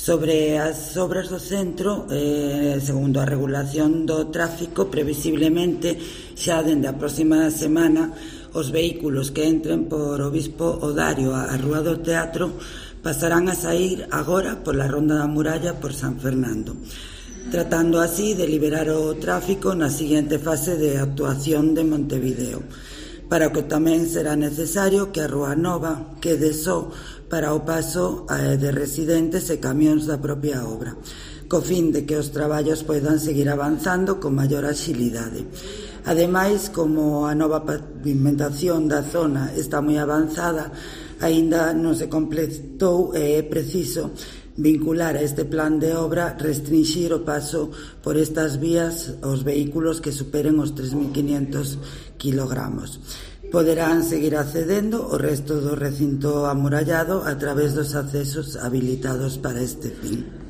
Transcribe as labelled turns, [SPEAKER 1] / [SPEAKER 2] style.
[SPEAKER 1] Sobre as obras do centro, segundo a regulación do tráfico, previsiblemente xa dende a próxima semana os vehículos que entren por Obispo Odario á Rúa do Teatro pasarán a saír agora pola Ronda da Muralla por San Fernando, tratando así de liberar o tráfico na seguinte fase de actuación de Montevideo, para o que tamén será necesario que a Rúa Nova quede só para o paso de residentes e camións da propia obra, co fin de que os traballos poidan seguir avanzando con maior axilidade. Ademais, como a nova pavimentación da zona está moi avanzada, aínda non se completou e é preciso vincular a este plan de obra restringir o paso por estas vías aos vehículos que superen os 3.500 kilogramos. Poderán seguir accedendo o resto do recinto amurallado a través dos accesos habilitados para este fin.